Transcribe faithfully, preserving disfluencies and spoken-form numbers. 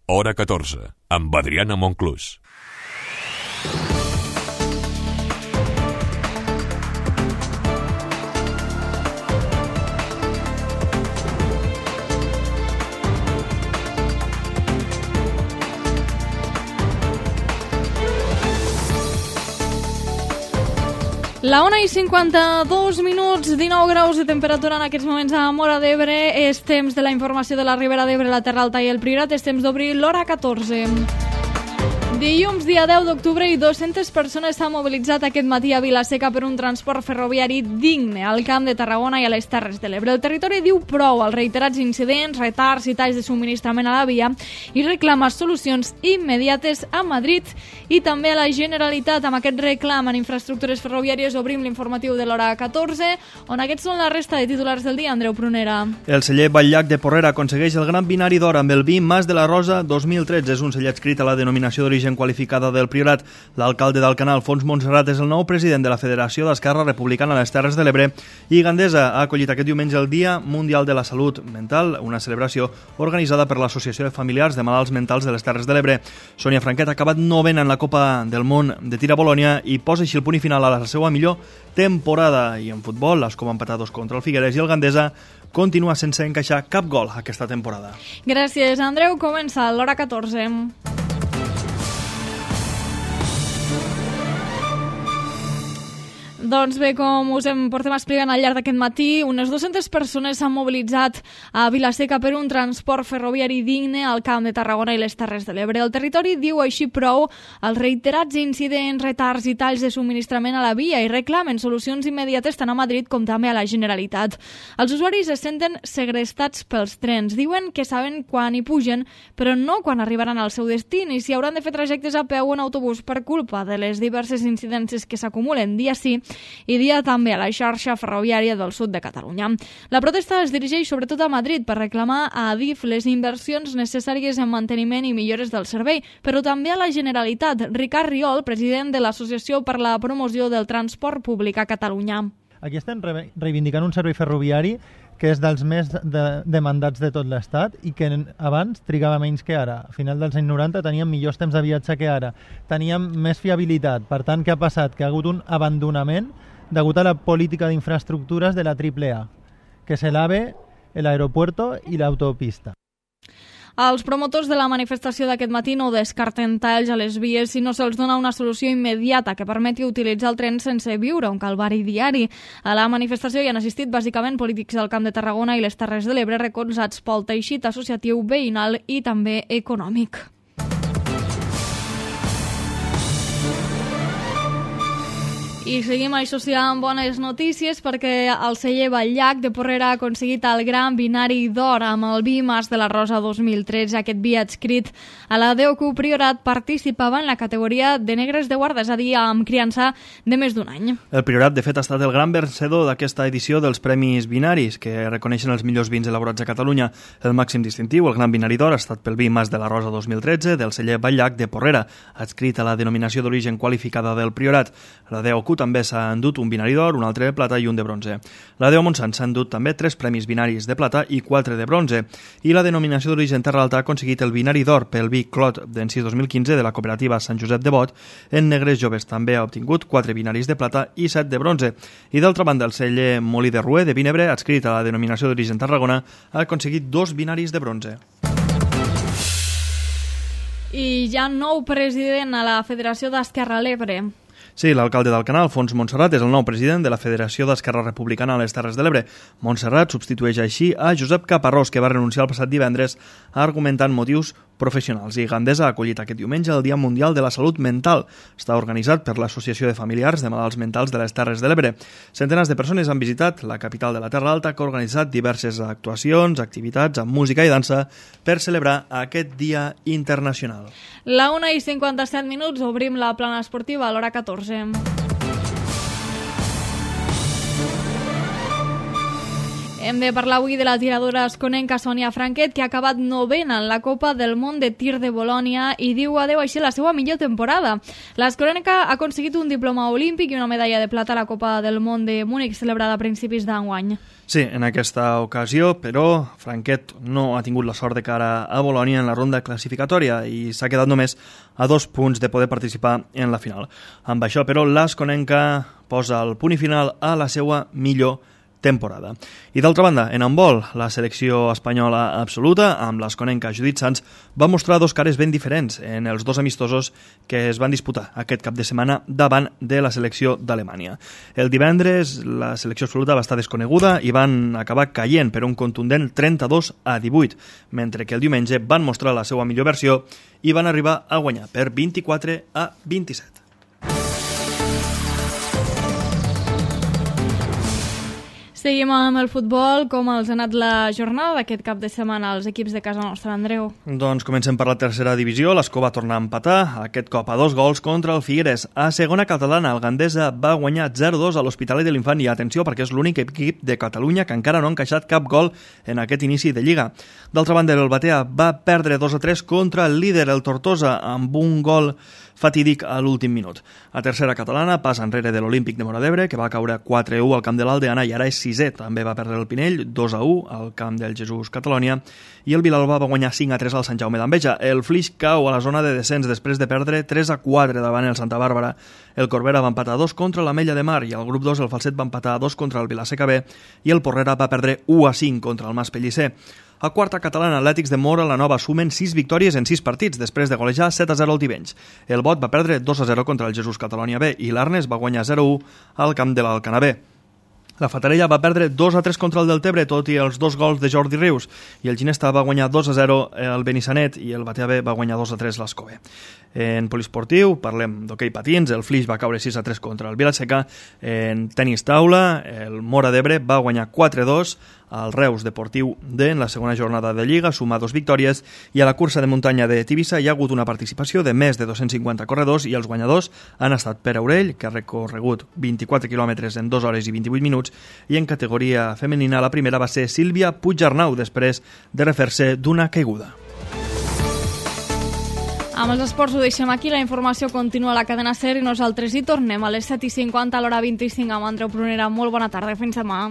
Hora catorze, amb Adriana Monclús. La una i cinquanta-dos minuts, dinou graus de temperatura en aquests moments a Móra d'Ebre. És temps de la informació de la Ribera d'Ebre, la Terra Alta i el Priorat. És temps d'obrir l'Hora catorze. Dilluns, dia deu d'octubre, i dues-centes persones s'han mobilitzat aquest matí a Vila-seca per un transport ferroviari digne al Camp de Tarragona i a les Terres de l'Ebre. El territori diu prou als reiterats incidents, retards i talls de subministrament a la via i reclama solucions immediates a Madrid i també a la Generalitat. Amb aquest reclam en infraestructures ferroviàries obrim l'informatiu de l'Hora catorze, on aquests són la resta de titulars del dia. Andreu Prunera. El celler Batllac de Porrera aconsegueix el Gran Binari d'Or amb el vi Mas de la Rosa dos mil tretze. És un celler adscrit a la denominació d'origen qualificada del Priorat. L'alcalde d'Alcanar, Alfons Montserrat, és el nou president de la Federació d'Esquerra Republicana a les Terres de l'Ebre i Gandesa ha acollit aquest diumenge el Dia Mundial de la Salut Mental, una celebració organitzada per l'Associació de Familiars de Malalts Mentals de les Terres de l'Ebre. Sònia Franquet ha acabat novena en la Copa del Món de tir a Bolònia i posa així el punt i final a la seva millor temporada. I en futbol, l'Escó va empatar dos contra el Figueres i el Gandesa continua sense encaixar cap gol aquesta temporada. Gràcies, Andreu. Comença l'Hora catorze. Doncs bé, com us hem portem explicant al llarg d'aquest matí, unes dues-centes persones s'han mobilitzat a Vila-seca per un transport ferroviari digne al Camp de Tarragona i les Terres de l'Ebre. El territori diu així prou als reiterats incidents, retards i talls de subministrament a la via i reclamen solucions immediates tant a Madrid com també a la Generalitat. Els usuaris es senten segrestats pels trens. Diuen que saben quan hi pugen, però no quan arribaran al seu destí, ni si hauran de fer trajectes a peu o en autobús per culpa de les diverses incidències que s'acumulen dia sí i dia també a la xarxa ferroviària del sud de Catalunya. La protesta es dirigeix sobretot a Madrid per reclamar a Adif les inversions necessàries en manteniment i millores del servei, però també a la Generalitat. Ricard Riol, president de l'Associació per la Promoció del Transport Públic a Catalunya. Aquí estem re- reivindicant un servei ferroviari que és dels més de, demandats de tot l'Estat i que abans trigava menys que ara. A final dels anys noranta teníem millors temps de viatge que ara, teníem més fiabilitat. Per tant, què ha passat? Que ha hagut un abandonament degut a la política d'infraestructures de la triple A, que és l'AVE, l'aeropuerto i l'autopista. Els promotors de la manifestació d'aquest matí no descarten talls a les vies si no se'ls dona una solució immediata que permeti utilitzar el tren sense viure un calvari diari. A la manifestació hi han assistit bàsicament polítics del Camp de Tarragona i les Terres de l'Ebre recolzats pel teixit associatiu veïnal i també econòmic. I seguim, això sí, amb bones notícies perquè el celler Batllac de Porrera ha aconseguit el Gran Binari d'Or amb el vi Mas de la Rosa dos mil tretze. Aquest vi adscrit a la D O C U Priorat participava en la categoria de negres de guarda, és a dir, amb criança de més d'un any. El Priorat, de fet, ha estat el gran vencedor d'aquesta edició dels Premis Binaris, que reconeixen els millors vins elaborats a Catalunya. El màxim distintiu, el Gran Binari d'Or, ha estat pel vi Mas de la Rosa dos mil tretze del celler Batllac de Porrera, adscrit a la denominació d'origen qualificada del Priorat. La D O C U també s'ha endut un binari d'or, un altre de plata i un de bronze. La D O Montsant s'ha endut també tres premis binaris de plata i quatre de bronze. I la denominació d'origen Terra Alta ha aconseguit el binari d'or pel vi Clot d'Encís dos mil quinze de la cooperativa Sant Josep de Bot. En negres joves també ha obtingut quatre binaris de plata i set de bronze. I d'altra banda, el celler Molí de Rué de Vinebre, adscrit a la denominació d'origen Tarragona, ha aconseguit dos binaris de bronze. I hi ha nou president a la Federació d'Esquerra a l'Ebre. Sí, l'alcalde d'Alcanar, Alfons Montserrat, és el nou president de la Federació d'Esquerra Republicana a les Terres de l'Ebre. Montserrat substitueix així a Josep Caparrós, que va renunciar el passat divendres argumentant motius professionals. I Gandesa ha acollit aquest diumenge el Dia Mundial de la Salut Mental. Està organitzat per l'Associació de Familiars de Malalts Mentals de les Terres de l'Ebre. Centenars de persones han visitat la capital de la Terra Alta, que ha organitzat diverses actuacions, activitats amb música i dansa per celebrar aquest dia internacional. La una i cinquanta-set minuts, obrim la plana esportiva a l'hora catorze. Hem de parlar avui de la tiradora esconenca Sònia Franquet, que ha acabat novena en la Copa del Món de Tir de Bolònia i diu adeu així la seva millor temporada. L'esconenca ha aconseguit un diploma olímpic i una medalla de plata a la Copa del Món de Múnich, celebrada a principis d'enguany. Sí, en aquesta ocasió, però, Franquet no ha tingut la sort de cara a Bolònia en la ronda classificatòria i s'ha quedat només a dos punts de poder participar en la final. Amb això, però, l'esconenca posa el punt i final a la seva millor temporada. I d'altra banda, en handbol, la selecció espanyola absoluta, amb l'esconenca Judit Sanz, va mostrar dos cares ben diferents en els dos amistosos que es van disputar aquest cap de setmana davant de la selecció d'Alemanya. El divendres, la selecció absoluta va estar desconeguda i van acabar caient per un contundent trenta-dos a divuit, mentre que el diumenge van mostrar la seva millor versió i van arribar a guanyar per vint-i-quatre a vint-i-set. Seguim amb el futbol. Com els ha anat la jornada d'aquest cap de setmana als equips de casa nostra, Andreu? Doncs comencem per la tercera divisió. L'Escó va tornar a empatar, aquest cop a dos gols contra el Figueres. A segona catalana, el Gandesa va guanyar zero a dos a l'Hospitalet de l'Infant i atenció perquè és l'únic equip de Catalunya que encara no ha encaixat cap gol en aquest inici de Lliga. D'altra banda, el Batea va perdre dos a tres contra el líder, el Tortosa, amb un gol fatídic a l'últim minut. A tercera catalana passa enrere de l'Olímpic de Móra d'Ebre, que va caure quatre a u al camp de l'Aldeana i ara és sisè. També va perdre el Pinell, dos a u al camp del Jesús Catalònia, i el Vilalba va guanyar cinc a tres al Sant Jaume d'Enveja. El Flix cau a la zona de descens després de perdre tres a quatre davant el Santa Bàrbara. El Corbera va empatar a dos contra l'Ametlla de Mar i al grup dos el Falset va empatar a dos contra el Vilaseca B i el Porrera va perdre u a cinc contra el Mas Pellicer. A quarta catalana, Atlètics de Móra la Nova sumen sis victòries en sis partits després de golejar set a zero al Tivenys. El Bot va perdre dos a zero contra el Jesús Catalònia B i l'Arnes va guanyar zero a u al camp de l'Alcanar B. La Fatarella va perdre dos a tres contra el Deltebre, tot i els dos gols de Jordi Rius, i el Ginesta va guanyar dos a zero el Benissanet i el Batea B va guanyar dos a tres l'Escó B. En poliesportiu, parlem d'hoquei patins, el Flix va caure sis a tres contra el Vilaseca. En tenis taula, el Móra d'Ebre va guanyar quatre a dos al Reus Deportiu D en la segona jornada de Lliga, suma dos victòries, i a la cursa de muntanya de Tivissa hi ha hagut una participació de més de dos-cents cinquanta corredors i els guanyadors han estat Pere Aurell, que ha recorregut vint-i-quatre quilòmetres en dues hores i vint-i-vuit minuts, i en categoria femenina la primera va ser Sílvia Puigarnau després de refer-se d'una caiguda. Amb els esports ho deixem aquí, la informació continua a la cadena SER i nosaltres hi tornem a les set i cinquanta a l'hora vint-i-cinc amb Andreu Prunera. Molt bona tarda, fins demà.